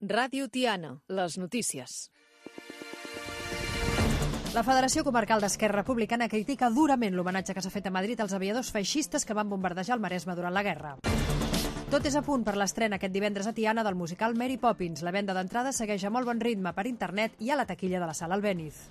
Ràdio Tiana, les notícies. La Federació Comarcal d'Esquerra Republicana critica durament l'homenatge que s'ha fet a Madrid als aviadors feixistes que van bombardejar el Maresme durant la guerra. Tot és a punt per l'estrena aquest divendres a Tiana del musical Mary Poppins. La venda d'entrada segueix a molt bon ritme per internet i a la taquilla de la Sala Albéniz.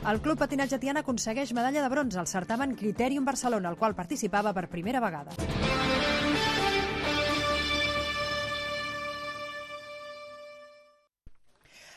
El Club Patinatge Tiana aconsegueix medalla de bronze al certamen Criterium Barcelona, al qual participava per primera vegada.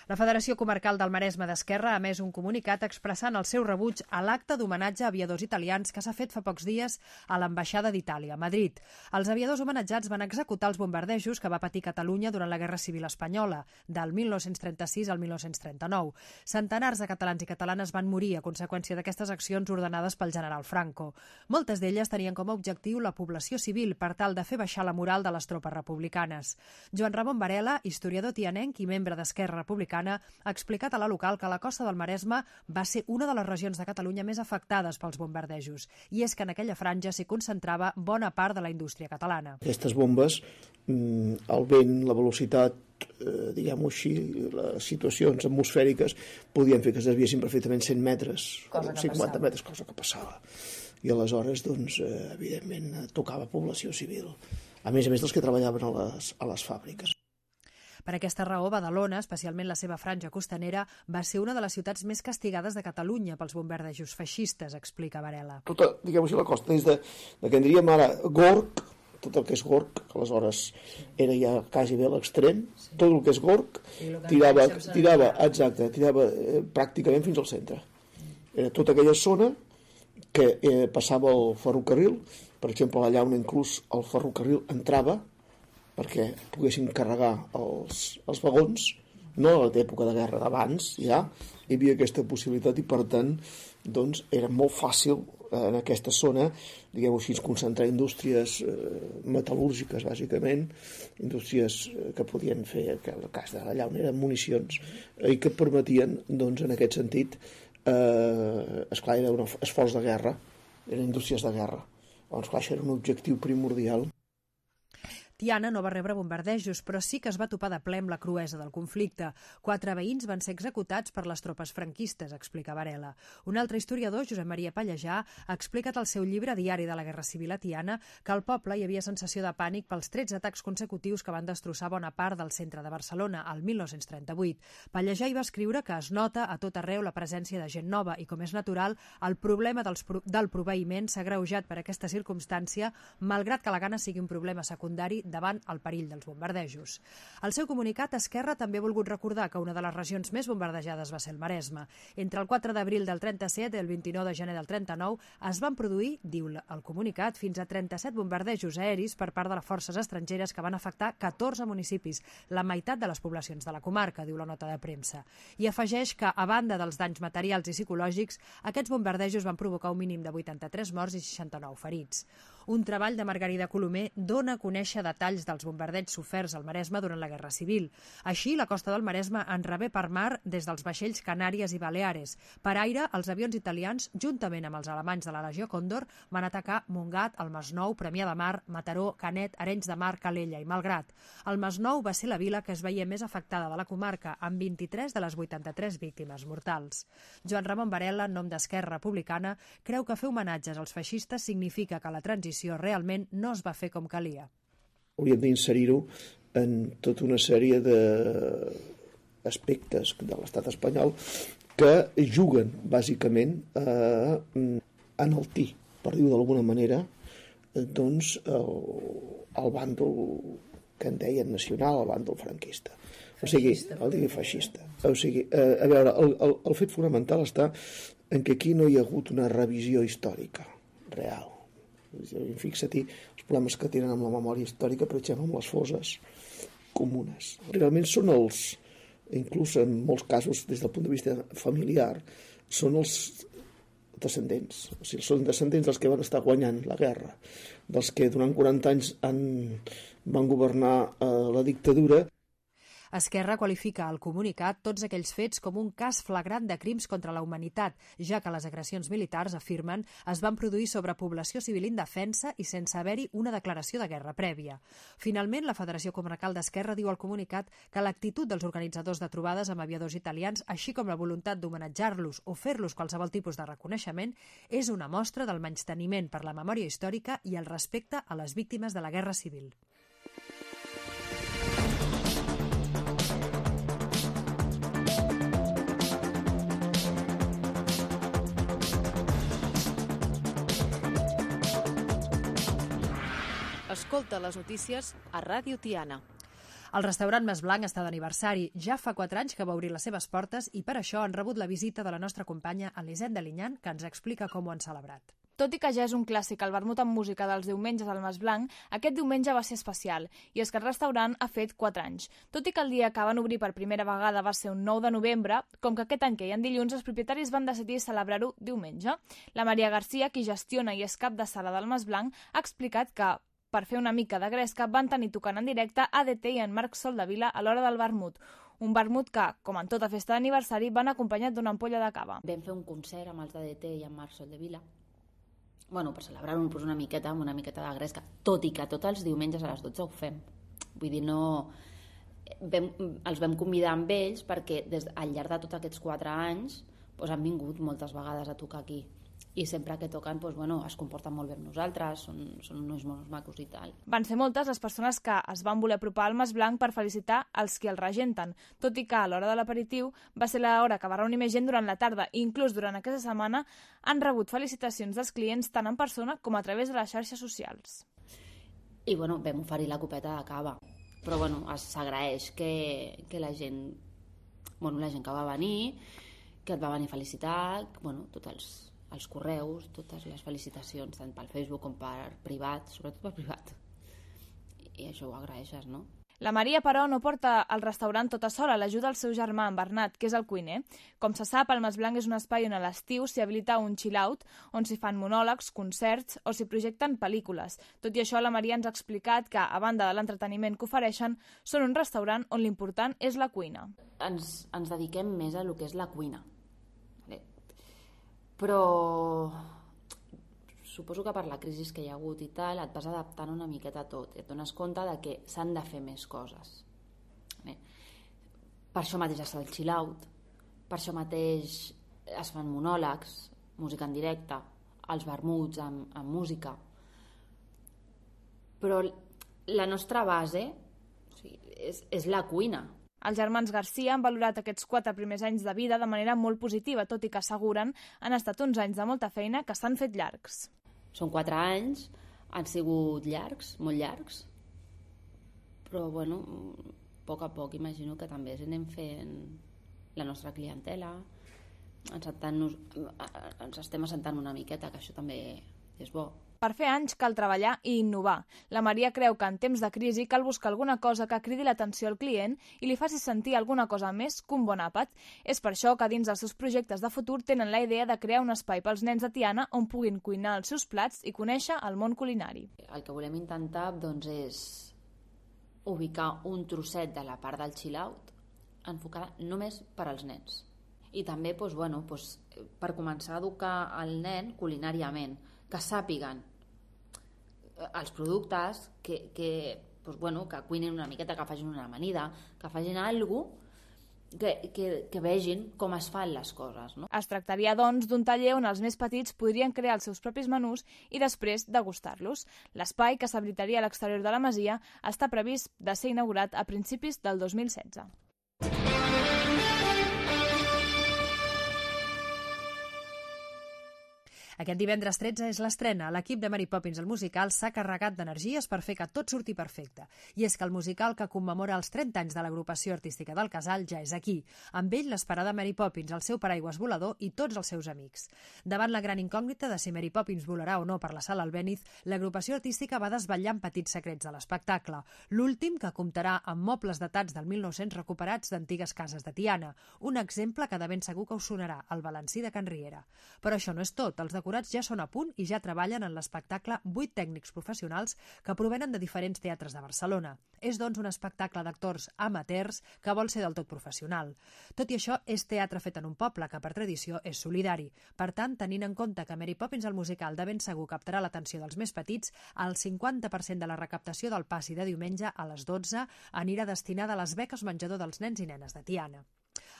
La Federació Comarcal del Maresme d'Esquerra ha emès un comunicat expressant el seu rebuig a l'acte d'homenatge a aviadors italians que s'ha fet fa pocs dies a l'Ambaixada d'Itàlia, a Madrid. Els aviadors homenatjats van executar els bombardejos que va patir Catalunya durant la Guerra Civil Espanyola, del 1936 al 1939. Centenars de catalans i catalanes van morir a conseqüència d'aquestes accions ordenades pel general Franco. Moltes d'elles tenien com a objectiu la població civil per tal de fer baixar la moral de les tropes republicanes. Joan Ramon Varela, historiador tianenc i membre d'Esquerra Republicana, ha explicat a la local que la costa del Maresme va ser una de les regions de Catalunya més afectades pels bombardejos, i és que en aquella franja s'hi concentrava bona part de la indústria catalana. Aquestes bombes, el vent, la velocitat, diguem-ho així, les situacions atmosfèriques podien fer que es desviessin perfectament 100 metres, 50 metres, cosa que passava. I aleshores, doncs, evidentment, tocava població civil, a més dels que treballaven a les fàbriques. Per aquesta raó, Badalona, especialment la seva franja costanera, va ser una de les ciutats més castigades de Catalunya pels bombardejos feixistes, explica Varela. Tota, diguem-ho així, la costa, des de que en diríem ara Gorg, tot el que és Gorg, que aleshores era ja quasi bé a l'extrem, tot el que és Gorg, tirava pràcticament fins al centre. Era tota aquella zona que passava el ferrocarril, per exemple, allà on inclús el ferrocarril entrava, perquè poguessin carregar els vagons, no a l'època de guerra d'abans, ja hi havia aquesta possibilitat i per tant doncs, era molt fàcil en aquesta zona, diguem-ho així, concentrar indústries metal·lúrgiques, bàsicament, indústries que podien fer, que en el cas d'allà on eren municions, i que permetien, doncs, en aquest sentit, esclar, era un esforç de guerra, eren indústries de guerra. Doncs, clar, això era un objectiu primordial. Tiana no va rebre bombardejos, però sí que es va topar de ple amb la cruesa del conflicte. 4 veïns van ser executats per les tropes franquistes, explica Varela. Un altre historiador, Josep Maria Pallejà, ha explicat al seu llibre Diari de la Guerra Civil a Tiana que al poble hi havia sensació de pànic pels 13 atacs consecutius que van destrossar bona part del centre de Barcelona, el 1938. Pallejà hi va escriure que es nota a tot arreu la presència de gent nova i, com és natural, el problema del proveïment s'ha agreujat per aquesta circumstància, malgrat que la gana sigui un problema secundari davant el perill dels bombardejos. Al seu comunicat, Esquerra també ha volgut recordar que una de les regions més bombardejades va ser el Maresme. Entre el 4 d'abril del 37 i el 29 de gener del 39 es van produir, diu el comunicat, fins a 37 bombardejos aeris per part de les forces estrangeres que van afectar 14 municipis, la meitat de les poblacions de la comarca, diu la nota de premsa. I afegeix que, a banda dels danys materials i psicològics, aquests bombardejos van provocar un mínim de 83 morts i 69 ferits. Un treball de Margarida Colomer dona a conèixer detalls dels bombardeigs soferts al Maresme durant la Guerra Civil. Així, la costa del Maresme en rebé per mar des dels vaixells Canàries i Baleares. Per aire, els avions italians, juntament amb els alemanys de la Legió Còndor, van atacar Montgat, el Masnou, Premià de Mar, Mataró, Canet, Arenys de Mar, Calella i Malgrat. El Masnou va ser la vila que es veia més afectada de la comarca, amb 23 de les 83 víctimes mortals. Joan Ramon Varela, en nom d'Esquerra Republicana, creu que fer homenatges als feixistes significa que la transició realment no es va fer com calia. Hauríem d'inserir-ho en tota una sèrie d'aspectes de l'estat espanyol que juguen bàsicament a enaltir, per dir-ho d'alguna manera, doncs el bàndol que en deien nacional, el bàndol franquista. O sigui, el feixista. O sigui, a veure, el fet fonamental està en que aquí no hi ha hagut una revisió històrica real. Fixa-t'hi els problemes que tenen amb la memòria històrica, per exemple, amb les fosses comunes. Realment són inclús en molts casos, des del punt de vista familiar, són els descendents. O sigui, són descendents dels que van estar guanyant la guerra, dels que durant 40 anys van governar la dictadura. Esquerra qualifica al comunicat tots aquells fets com un cas flagrant de crims contra la humanitat, ja que les agressions militars, afirmen, es van produir sobre població civil indefensa i sense haver-hi una declaració de guerra prèvia. Finalment, la Federació Comarcal d'Esquerra diu al comunicat que l'actitud dels organitzadors de trobades amb aviadors italians, així com la voluntat d'homenatjar-los o fer-los qualsevol tipus de reconeixement, és una mostra del menysteniment per la memòria històrica i el respecte a les víctimes de la Guerra Civil. Escolta les notícies a Ràdio Tiana. El restaurant Mas Blanc està d'aniversari. Ja fa 4 anys que va obrir les seves portes i per això han rebut la visita de la nostra companya Elisenda Linyan, que ens explica com ho han celebrat. Tot i que ja és un clàssic el vermut amb música dels diumenges al Mas Blanc, aquest diumenge va ser especial, i és que el restaurant ha fet 4 anys. Tot i que el dia que van obrir per primera vegada va ser un 9 de novembre, com que aquest any que hi ha dilluns, els propietaris van decidir celebrar-ho diumenge. La Maria Garcia, qui gestiona i és cap de sala del Mas Blanc, ha explicat que per fer una mica de gresca, van tenir tocant en directe ADT i en Marc Soldevila a l'hora del vermut. Un vermut que, com en tota festa d'aniversari, van acompanyat d'una ampolla de cava. Vam fer un concert amb els d'ADT i en Marc Soldevila, per celebrar-ho una miqueta, amb una miqueta de gresca, tot i que tots els diumenges a les 12 ho fem. Vull dir, els vam convidar amb ells perquè al llarg de tots aquests 4 anys han vingut moltes vegades a tocar aquí. I sempre que toquen es comporten molt bé amb nosaltres, són uns monos macos i tal. Van ser moltes les persones que es van voler apropar al Mas Blanc per felicitar els qui el regenten, tot i que a l'hora de l'aperitiu va ser l'hora que va reunir més gent durant la tarda i inclús durant aquesta setmana han rebut felicitacions dels clients tant en persona com a través de les xarxes socials. I vam oferir la copeta de cava, però s'agraeix que la gent que va venir, que et va venir a felicitar, tots els correus, totes les felicitacions, tant pel Facebook com per privat, sobretot per privat. I això ho agraeixes, no? La Maria, però, no porta al restaurant tota sola, l'ajuda el seu germà, en Bernat, que és el cuiner. Com se sap, el Mas Blanc és un espai on a l'estiu s'hi habilita un chill-out, on s'hi fan monòlegs, concerts o s'hi projecten pel·lícules. Tot i això, la Maria ens ha explicat que, a banda de l'entreteniment que ofereixen, són un restaurant on l'important és la cuina. Ens dediquem més a lo que és la cuina. Però suposo que per la crisi que hi ha hagut i tal et vas adaptant una miqueta a tot i et dones compte de que s'han de fer més coses. Per això mateix es fa el chill-out, per això mateix es fan monòlegs, música en directe, els vermuts amb música. Però la nostra base és la cuina. Els germans Garcia han valorat aquests 4 primers anys de vida de manera molt positiva, tot i que asseguren han estat uns anys de molta feina que s'han fet llargs. Són 4 anys, han sigut llargs, molt llargs, però a poc imagino que també anem fent la nostra clientela, ens estem assentant una miqueta, que això també és bo. Per fer anys cal treballar i innovar. La Maria creu que en temps de crisi cal buscar alguna cosa que cridi l'atenció al client i li faci sentir alguna cosa més que un bon àpat. És per això que dins dels seus projectes de futur tenen la idea de crear un espai pels nens de Tiana on puguin cuinar els seus plats i conèixer el món culinari. El que volem intentar és ubicar un trosset de la part del chill-out enfocada només per als nens. I també per començar a educar el nen culinàriament, que sàpiguen els productes, que cuinin una miqueta, que facin una amanida, que facin alguna cosa que vegin com es fan les coses. No? Es tractaria, doncs, d'un taller on els més petits podrien crear els seus propis menús i després degustar-los. L'espai, que s'habilitaria a l'exterior de la masia, està previst de ser inaugurat a principis del 2016. Aquest divendres 13 és l'estrena. L'equip de Mary Poppins, el musical, s'ha carregat d'energies per fer que tot surti perfecte. I és que el musical que commemora els 30 anys de l'agrupació artística del Casal ja és aquí. Amb ell l'esperada Mary Poppins, el seu paraigües volador i tots els seus amics. Davant la gran incògnita de si Mary Poppins volarà o no per la sala Albéniz, l'agrupació artística va desvetllant petits secrets de l'espectacle. L'últim, que comptarà amb mobles datats del 1900 recuperats d'antigues cases de Tiana. Un exemple que de ben segur que us sonarà, el balancí de Can Riera. Però això no és tot. Els condecorats ja són a punt i ja treballen en l'espectacle 8 tècnics professionals que provenen de diferents teatres de Barcelona. És, doncs, un espectacle d'actors amateurs que vol ser del tot professional. Tot i això, és teatre fet en un poble que, per tradició, és solidari. Per tant, tenint en compte que Mary Poppins, el musical, de ben segur captarà l'atenció dels més petits, el 50% de la recaptació del passi de diumenge a les 12 anirà destinada a les beques menjador dels nens i nenes de Tiana.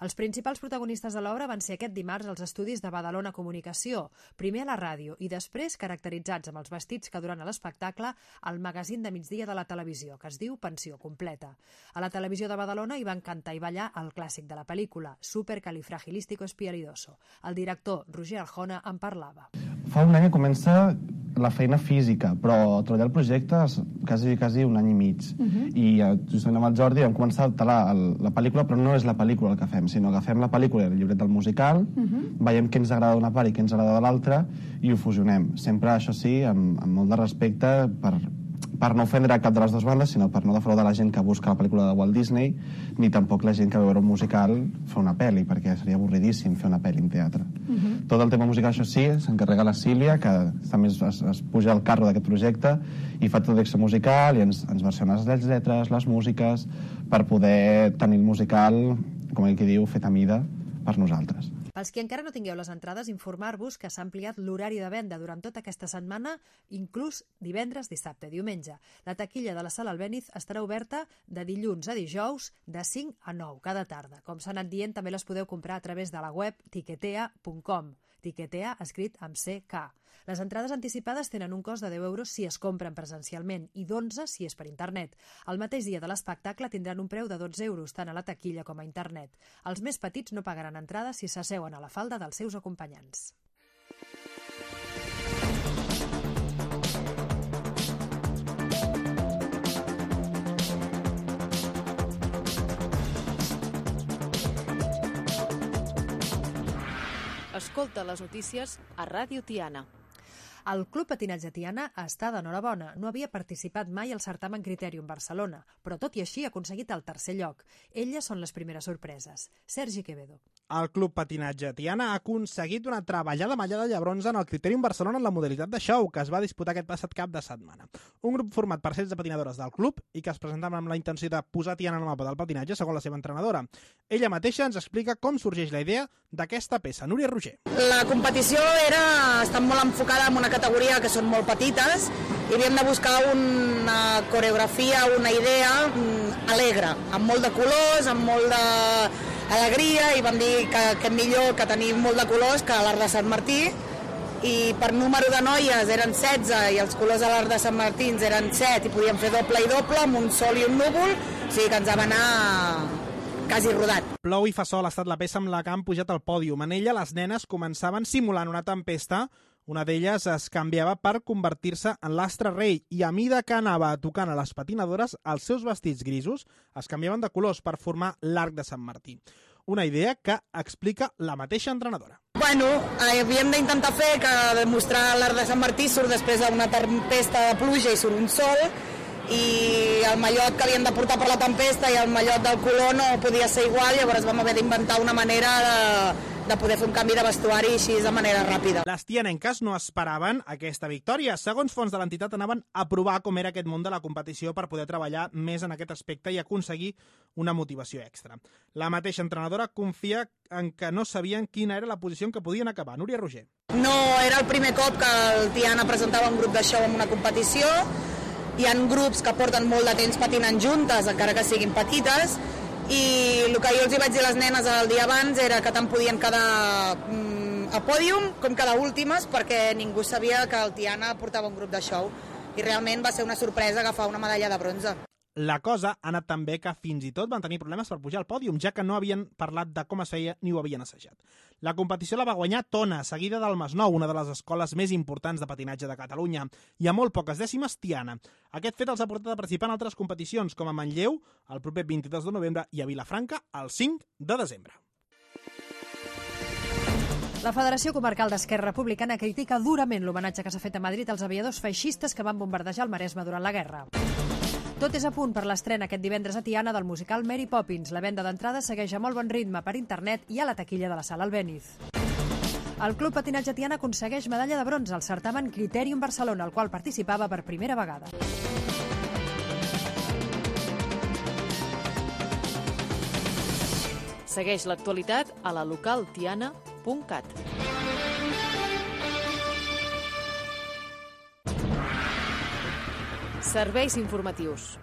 Els principals protagonistes de l'obra van ser aquest dimarts als estudis de Badalona Comunicació, primer a la ràdio i després caracteritzats amb els vestits que duran a l'espectacle al magazín de migdia de la televisió, que es diu Pensió Completa. A la televisió de Badalona hi van cantar i ballar el clàssic de la pel·lícula, Supercalifragilisticexpialidoso. El director, Roger Arjona, en parlava. Fa un any que comença la feina física, però treballar el projecte és quasi un any i mig. I justament amb el Jordi vam començar a talar la pel·lícula, però no és la pel·lícula el que fem, sinó que agafem la pel·lícula i el llibret del musical, veiem què ens agrada d'una part i què ens agrada de l'altra i ho fusionem. Sempre, això sí, amb molt de respecte per no ofendre cap de les dues bandes, sinó per no defraudar la gent que busca la pel·lícula de Walt Disney, ni tampoc la gent que va veure un musical fer una pel·li, perquè seria avorridíssim fer una pel·li en teatre. Tot el tema musical, això sí, s'encarrega la Sílvia, que també es puja al carro d'aquest projecte i fa tot l'extra musical i ens versiona les lletres, les músiques, per poder tenir el musical, com ell que diu, fet a mida per nosaltres. Pels qui encara no tingueu les entrades, informar-vos que s'ha ampliat l'horari de venda durant tota aquesta setmana, inclús divendres, dissabte i diumenge. La taquilla de la Sala Albéniz estarà oberta de dilluns a dijous de 5 a 9 cada tarda. Com s'ha anat dient, també les podeu comprar a través de la web tiquetea.com. Tiquetea escrit amb CK. Les entrades anticipades tenen un cost de 10 euros si es compren presencialment i d'11 si és per internet. El mateix dia de l'espectacle tindran un preu de 12 euros tant a la taquilla com a internet. Els més petits no pagaran entrada si s'asseuen a la falda dels seus acompanyants. Escolta les notícies a Ràdio Tiana. El Club Patinatge Tiana està d'enhorabona. No havia participat mai al certamen Criterium Barcelona, però tot i així ha aconseguit el tercer lloc. Elles són les primeres sorpreses. Sergi Quevedo. El Club Patinatge Tiana ha aconseguit una treballada mallada de bronze en el Criterium Barcelona en la modalitat de show, que es va disputar aquest passat cap de setmana. Un grup format per 16 patinadores del club i que es presentaven amb la intenció de posar Tiana en el mapa del patinatge, segons la seva entrenadora. Ella mateixa ens explica com sorgeix la idea d'aquesta peça. Núria Roger. La competició està molt enfocada en una categoria que són molt petites i havíem de buscar una coreografia, una idea alegre, amb molt de colors, amb molt d'alegria, i vam dir que millor que tenir molt de colors que l'Arc de Sant Martí, i per número de noies eren 16 i els colors de l'Arc de Sant Martí eren 7 i podíem fer doble i doble amb un sol i un núvol, o sigui que ens va anar quasi rodat. Plou i fa sol ha estat la peça amb la que han pujat al pòdium. En ella les nenes començaven simulant una tempesta. Una d'elles es canviava per convertir-se en l'astre rei i a mida que anava tocant a les patinadores, els seus vestits grisos es canviaven de colors per formar l'Arc de Sant Martí. Una idea que explica la mateixa entrenadora. Bueno, havíem d'intentar fer que demostrar l'Arc de Sant Martí surt després d'una tempesta de pluja i surt un sol, i el mallot que havien de portar per la tempesta i el mallot del color no podia ser igual, llavors vam haver d'inventar una manera de poder fer un canvi de vestuari així de manera ràpida. Les tianenques no esperaven aquesta victòria. Segons fons de l'entitat, anaven a provar com era aquest món de la competició per poder treballar més en aquest aspecte i aconseguir una motivació extra. La mateixa entrenadora confia en que no sabien quina era la posició en què podien acabar. Núria Roger. No era el primer cop que el Tiana presentava un grup de show en una competició. Hi ha grups que porten molt de temps patinant juntes, encara que siguin petites, i el que jo els vaig dir a les nenes el dia abans era que tant podien quedar a pòdium com quedar últimes, perquè ningú sabia que el Tiana portava un grup de show, i realment va ser una sorpresa agafar una medalla de bronze. La cosa ha anat tan bé que fins i tot van tenir problemes per pujar al pòdium, ja que no havien parlat de com es feia ni ho havien assajat. La competició la va guanyar Tona, seguida del Masnou, una de les escoles més importants de patinatge de Catalunya, i a molt poques dècimes Tiana. Aquest fet els ha portat a participar en altres competicions, com a Manlleu, el proper 22 de novembre, i a Vilafranca, el 5 de desembre. La Federació Comarcal d'Esquerra Republicana critica durament l'homenatge que s'ha fet a Madrid als aviadors feixistes que van bombardejar el Maresme durant la guerra. Tot és a punt per l'estrena aquest divendres a Tiana del musical Mary Poppins. La venda d'entrades segueix a molt bon ritme per internet i a la taquilla de la Sala Albéniz. El Club Patinatge Tiana aconsegueix medalla de bronze al certamen Criterium Barcelona, al qual participava per primera vegada. Segueix l'actualitat a la localtiana.cat. Serveis informatius.